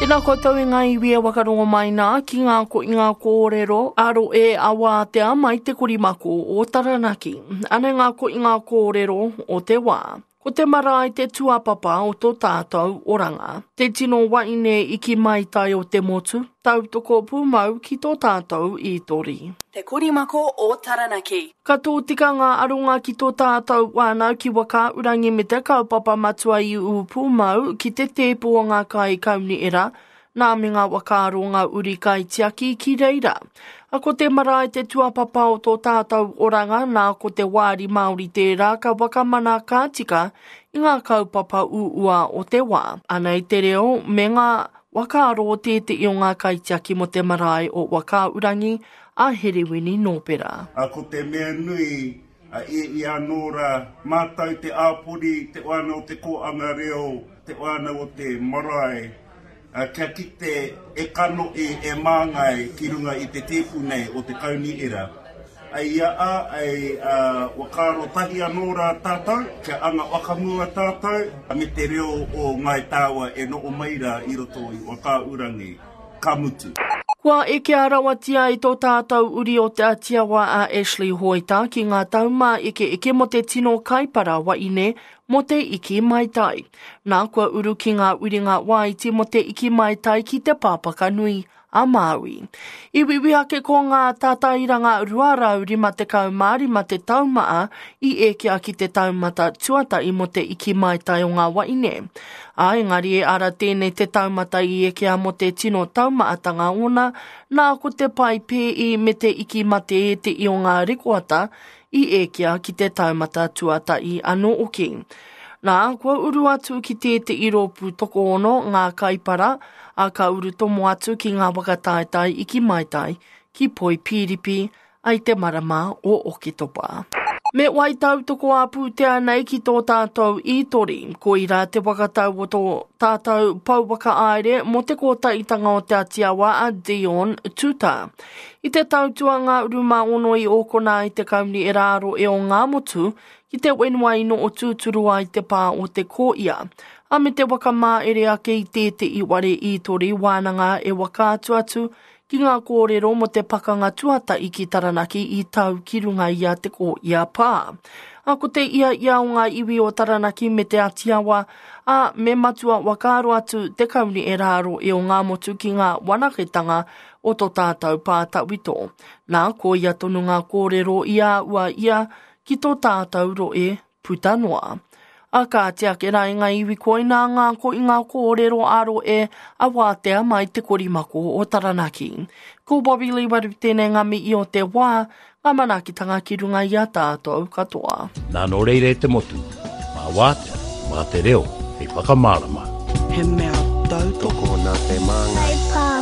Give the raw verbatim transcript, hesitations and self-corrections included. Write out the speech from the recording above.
Tēnā koutou e ngā iwi e wakarongo mai nā ki ngā ko i ngā kōrero aro e awātea mai te korimako o Taranaki. Anei ngā ko i ngā kōrero o te wā. Ko te marae te tuapapa o tō tātou oranga. Te tino waine iki maitai o te motu, tautoko pūmau ki tō tātou ītori. Te Korimako o Taranaki. Ka tōtika ngā aronga ki tō tātou whānau ki Whakaaurangi me te kaupapa matua i ū pūmau ki te tēpu o ngā kai kauniera, nā me ngā whakaaro ngā uri kaitiaki ki reira. A ko te marae te tuapapa o tō tātou oranga, nā ko te wāri Māori tērā ka whakamana ka tika i ngā kaupapa uua o te wā. Anei te reo me ngā whakaaro o tētehi o ngā kaitiaki mo te marae o Whakaaurangi a Herewini Nōpera. A ko te mea nui, a e i anō rā, mātou te āpori, te wānau o te kōanga reo, te wānau o te marae, a, kia kite e kanohi e māngai ki runga i te tēpu nei o te kauniera. Ai ia a, ai a, whakaaro tahi anō rā tātou, kia anga whakamua tātou, me te reo o Ngāi Tāua e noho mai rā i roto i Whakaaurangi, ka mutu. Kua ekea rawatia i tō tātou uri o Te Atiawa a Ashley Hoeta ki ngā taumā eke eke mo te tino kaipara waine mo te iki maitai. Nā kua uru ki ngā uringa waiti mo te iki maitai ki te pāpaka nui a Māui. I wiwi ake ko ngā tātairanga rua rau rima tekau mā rima te taumaa i ekea ki te taumata tuatahi mo te iki maitai o ngā waine. A engari e ara tēnei te taumata i ekea mo te tino taumaatanga ona, nā ko te pai pēi me te iki mate e te i o ngā rekoata i ekea ki te taumata tuatahi anō oki. Nā, kua uru atu ki tētehi rōpū tokoono ngā kaipara, a ka uru tomo atu ki ngā whakataetae iki maitai, ki Poipiripi, ai te marama o Oketopa. Me wai tautoko a pūtea nei ki tō tātou ītori, ko ira te whakatau o tō tātou pouwaka aere mō te kōtaitanga o Te Atiawa a Dion Tuta. I te tautua ngā uruma ono i ōkona i te kauni e rāro e o ngā motu, ki te whenua ino o tūturu ai te pā o te kōia. A me te waka māere ake i tētehi ware ītori wānanga e waka atu atu ki ngā kōrero mo te pakanga tuatahi ki Taranaki i tau ki runga i a te kōia pā. A ko te ia ia o ngā iwi o Taranaki me Te Atiawa, a me matua whakaaro atu te kauni e rāro e o ngā motu ki ngā wanaketanga o tō tātou pā tawhito. Nā, ko ia tonu ngā kōrero i a ua ia ki tō tātou roe puta noa. A ka ake rā i ngā iwi koina ngā ko i ngā kōrero aro e a wātea mai te korimako o Taranaki. Ko Bobby Lee Waru tēnei ngā mihi o te wā, ngā manaakitanga ki runga i a tātou katoa. Nā nō reira e te motu, mā wātea, mā te reo, hei whakamārama. He mea tautoko nā te māngai.